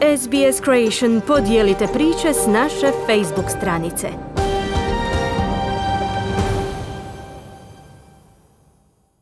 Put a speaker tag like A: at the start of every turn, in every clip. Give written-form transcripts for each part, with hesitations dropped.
A: SBS Creation, podijelite priče s naše Facebook stranice.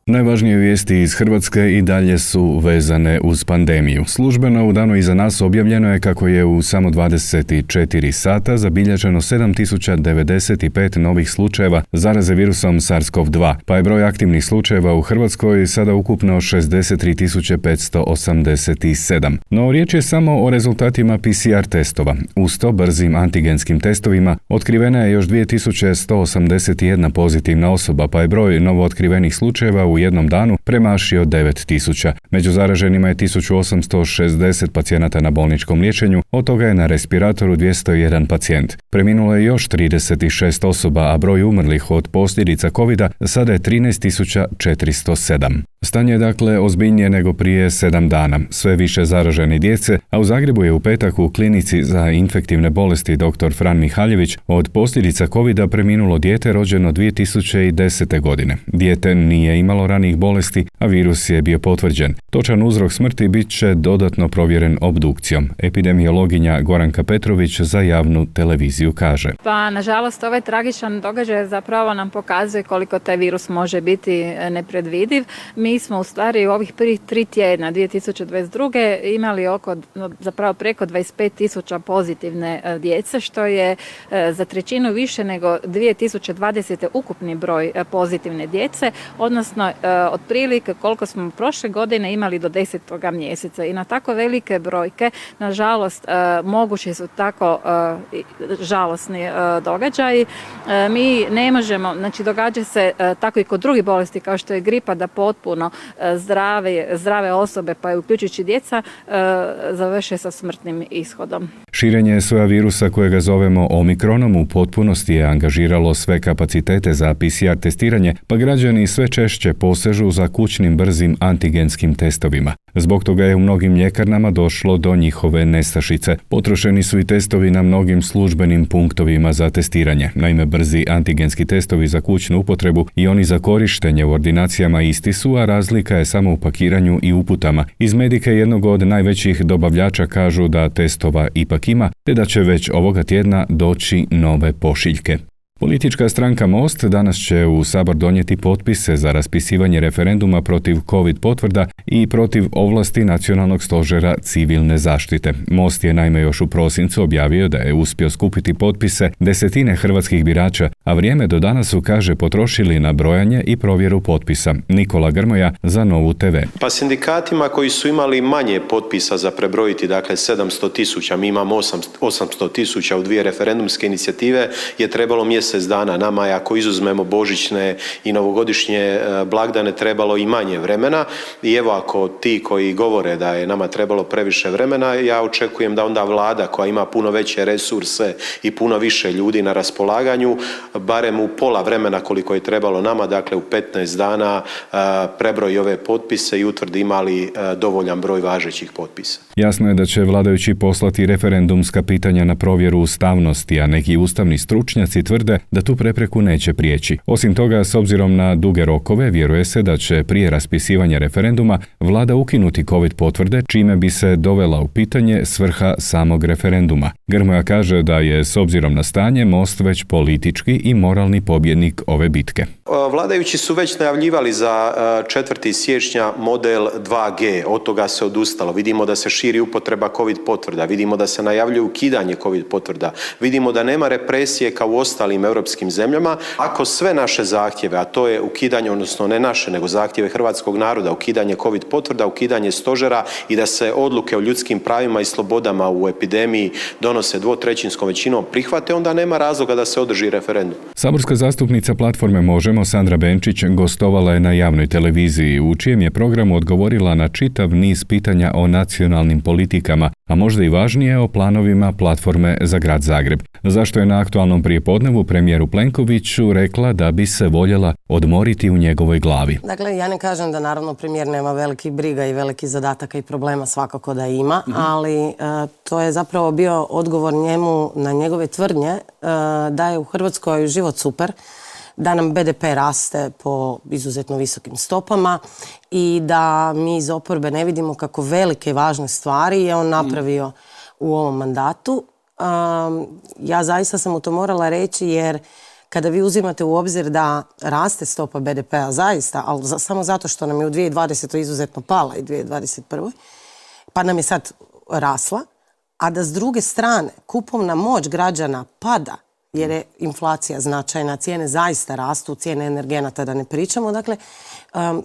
B: Najvažnije vijesti iz Hrvatske i dalje su vezane uz pandemiju. Službeno u danu iza nas objavljeno je kako je u samo 24 sata zabilježeno 7095 novih slučajeva zaraze virusom SARS-CoV-2, pa je broj aktivnih slučajeva u Hrvatskoj sada ukupno 63.587. No riječ je samo o rezultatima PCR testova. Uz to brzim antigenskim testovima otkrivena je još 2181 pozitivna osoba, pa je broj novootkrivenih slučajeva u jednom danu premašio 9000. Među zaraženima je 1860 pacijenata na bolničkom liječenju, od toga je na respiratoru 201 pacijent. Preminulo je još 36 osoba, a broj umrlih od posljedica covida sada je 13.407. Stanje je dakle ozbiljnije nego prije 7 dana. Sve više zaražene djece, a u Zagrebu je u petak u klinici za infektivne bolesti dr. Fran Mihaljević od posljedica covida preminulo dijete rođeno 2010. godine. Dijete nije imalo ranijih bolesti, a virus je bio potvrđen. Točan uzrok smrti bit će dodatno provjeren obdukcijom. Epidemiologinja Goranka Petrović za javnu televiziju kaže.
C: Pa nažalost ovaj tragičan događaj zapravo nam pokazuje koliko taj virus može biti nepredvidiv. Mi smo u stvari u ovih prvih 3 tjedna 2022. imali zapravo preko 25.000 pozitivne djece, što je za trećinu više nego 2020. ukupni broj pozitivne djece, odnosno otprilike koliko smo prošle godine imali do 10. mjeseca. I na tako velike brojke, nažalost, mogući su tako žalosni događaji. Mi ne možemo, znači događa se tako i kod drugih bolesti kao što je gripa, da potpuno zdrave osobe, pa i uključujući djeca, završe sa smrtnim ishodom.
B: Širenje soja virusa kojega zovemo Omikronom u potpunosti je angažiralo sve kapacitete za PCR testiranje, pa građani sve češće posežu za kućnim brzim antigenskim testovima. Zbog toga je u mnogim ljekarnama došlo do njihove nestašice. Potrošeni su i testovi na mnogim službenim punktovima za testiranje. Naime, brzi antigenski testovi za kućnu upotrebu i oni za korištenje u ordinacijama isti su, a razlika je samo u pakiranju i uputama. Iz Medike, jednog od najvećih dobavljača, kažu da testova ipak ima, te da će već ovoga tjedna doći nove pošiljke. Politička stranka Most danas će u Sabor donijeti potpise za raspisivanje referenduma protiv COVID potvrda i protiv ovlasti Nacionalnog stožera civilne zaštite. Most je naime još u prosincu objavio da je uspio skupiti potpise desetine hrvatskih birača, a vrijeme do danas su, kaže, potrošili na brojanje i provjeru potpisa. Nikola Grmoja za Novu TV.
D: Pa sindikatima koji su imali manje potpisa za prebrojiti, dakle 700.000, mi imamo 800.000 u 2 referendumske inicijative, je trebalo mjesec dana. Nama je, ako izuzmemo božićne i novogodišnje blagdane, trebalo i manje vremena. I evo, ako ti koji govore da je nama trebalo previše vremena, ja očekujem da onda vlada koja ima puno veće resurse i puno više ljudi na raspolaganju, barem u pola vremena koliko je trebalo nama, dakle u 15 dana, prebroji ove potpise i utvrdi imali dovoljan broj važećih potpisa.
B: Jasno je da će vladajući poslati referendumska pitanja na provjeru ustavnosti, a neki ustavni stručnjaci tvrde da tu prepreku neće prijeći. Osim toga, s obzirom na duge rokove, vjeruje se da će prije raspisivanja referenduma vlada ukinuti COVID potvrde, čime bi se dovela u pitanje svrha samog referenduma. Grmoja kaže da je, s obzirom na stanje, Most već politički i moralni pobjednik ove bitke.
D: Vladajući su već najavljivali za 4. siječnja model 2G, od toga se odustalo. Vidimo da se širi upotreba COVID potvrda, vidimo da se najavljuje ukidanje COVID potvrda, vidimo da nema represije kao u ostalim europskim zemljama. Ako sve naše zahtjeve, a to je ukidanje, odnosno ne naše, nego zahtjeve hrvatskog naroda, ukidanje COVID potvrda, ukidanje stožera i da se odluke o ljudskim pravima i slobodama u epidemiji donose 2/3 većinom prihvate, onda nema razloga da se održi referendum.
B: Saborska zastupnica platforme Možemo, Sandra Benčić, gostovala je na javnoj televiziji, u čijem je programu odgovorila na čitav niz pitanja o nacionalnim politikama, a možda i važnije o planovima platforme za grad Zagreb. Zašto je na aktualnom prijepodnevu premijeru Plenkoviću rekla da bi se voljela odmoriti u njegovoj glavi.
E: Dakle, ja ne kažem da naravno premijer nema velikih briga i velikih zadataka i problema, svakako da ima, ali to je zapravo bio odgovor njemu na njegove tvrdnje da je u Hrvatskoj život super, da nam BDP raste po izuzetno visokim stopama i da mi iz oporbe ne vidimo kako velike i važne stvari je on napravio u ovom mandatu. Ja zaista sam mu to morala reći jer kada vi uzimate u obzir da raste stopa BDP-a zaista, ali samo zato što nam je u 2020. izuzetno pala i 2021. pa nam je sad rasla, a da s druge strane kupovna moć građana pada jer je inflacija značajna, cijene zaista rastu, cijene energenata da ne pričamo. Dakle,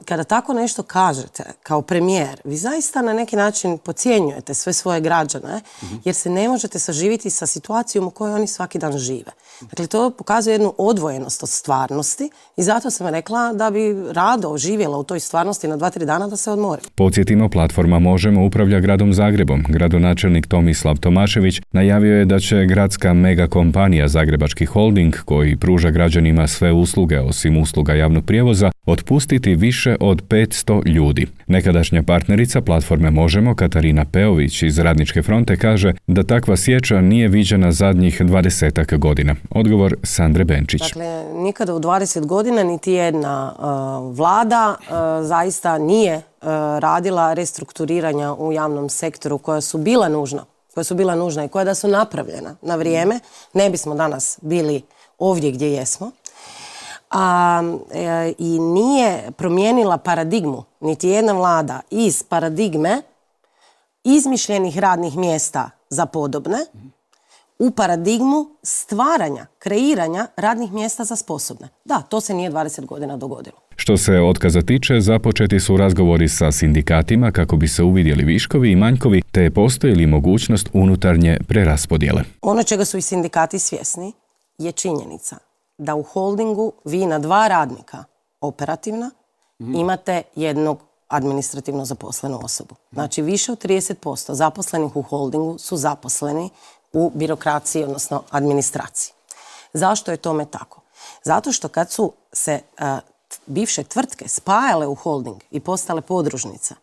E: kada tako nešto kažete kao premijer, vi zaista na neki način podcjenjujete sve svoje građane jer se ne možete saživiti sa situacijom u kojoj oni svaki dan žive. Dakle, to pokazuje jednu odvojenost od stvarnosti i zato sam rekla da bi rado živjela u toj stvarnosti na 2-3 dana da se odmori.
B: Podsjetimo, platforma Možemo upravlja gradom Zagrebom. Gradonačelnik Tomislav Tomašević najavio je da će gradska megakompanija Zagrebački holding, koji pruža građanima sve usluge osim usluga javnog prijevoza, otpustiti više od 500 ljudi. Nekadašnja partnerica platforme Možemo, Katarina Peović iz Radničke fronte, kaže da takva sječa nije viđena zadnjih 20 godina. Odgovor Sandre Benčić.
E: Dakle, nikada u 20 godina niti jedna vlada zaista nije radila restrukturiranja u javnom sektoru koja su bila nužna i koja da su napravljena na vrijeme, ne bismo danas bili ovdje gdje jesmo. I nije promijenila paradigmu, niti jedna vlada, iz paradigme izmišljenih radnih mjesta za podobne u paradigmu stvaranja, kreiranja radnih mjesta za sposobne. Da, to se nije 20 godina dogodilo.
B: Što se otkaza tiče, započeti su razgovori sa sindikatima kako bi se uvidjeli viškovi i manjkovi, te postoji li mogućnost unutarnje preraspodjele.
E: Ono čega su i sindikati svjesni je činjenica da u holdingu vi na 2 radnika operativna imate jednog administrativno zaposlenu osobu. Znači više od 30% zaposlenih u holdingu su zaposleni u birokraciji, odnosno administraciji. Zašto je tome tako? Zato što kad su se bivše tvrtke spajale u holding i postale podružnice,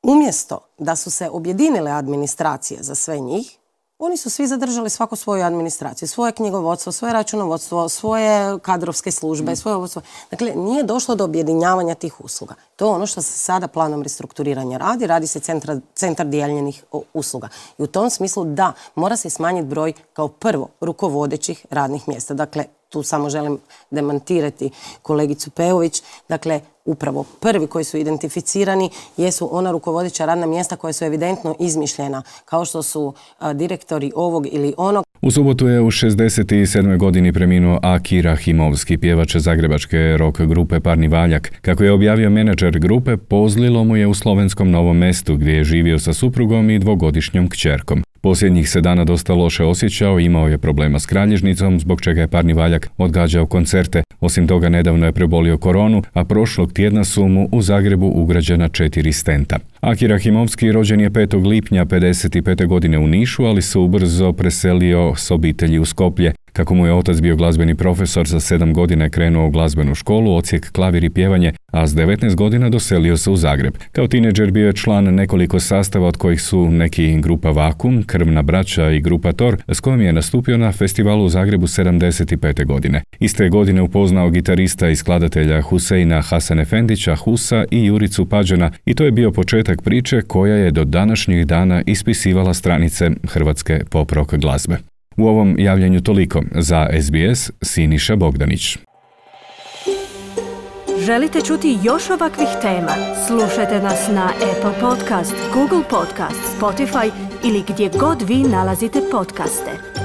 E: umjesto da su se objedinile administracije za sve njih, oni su svi zadržali svako svoju administraciju, svoje knjigovodstvo, svoje računovodstvo, svoje kadrovske službe, svoje vodstvo. Dakle, nije došlo do objedinjavanja tih usluga. To je ono što se sada planom restrukturiranja radi se centar dijeljenih usluga. I u tom smislu da, mora se smanjiti broj kao prvo rukovodećih radnih mjesta. Dakle, tu samo želim demantirati kolegicu Peović. Dakle, upravo prvi koji su identificirani jesu ona rukovodeća radna mjesta koja su evidentno izmišljena, kao što su direktori ovog ili onog.
B: U subotu je u 67. godini preminuo Aki Rahimovski, pjevač zagrebačke rock grupe Parni Valjak. Kako je objavio menadžer grupe, pozlilo mu je u slovenskom Novom Mestu, gdje je živio sa suprugom i 2-godišnjom kćerkom. Posljednjih se dana dosta loše osjećao, imao je problema s kralježnicom, zbog čega je Parni Valjak odgađao koncerte. Osim toga, nedavno je prebolio koronu, a prošlog tjedna su mu u Zagrebu ugrađena 4 stenta. Aki Rahimovski rođen je 5. lipnja 55. godine u Nišu, ali se ubrzo preselio s obitelji u Skoplje. Kako mu je otac bio glazbeni profesor, za 7 godina je krenuo u glazbenu školu, odsjek klavir i pjevanje, a s 19 godina doselio se u Zagreb. Kao tineđer bio je član nekoliko sastava, od kojih su neki grupa Vakum, Krvna braća i grupa Tor, s kojom je nastupio na festivalu u Zagrebu 75. godine. Iste godine upoznao gitarista i skladatelja Huseina Hasanefendića Husa i Juricu Pađana, i to je bio početak priče koja je do današnjih dana ispisivala stranice hrvatske pop rock glazbe. U ovom javljanju toliko. Za SBS, Siniša Bogdanić.
A: Želite čuti još ovakvih tema? Slušajte nas na Apple Podcast, Google Podcast, Spotify ili gdje god vi nalazite podcaste.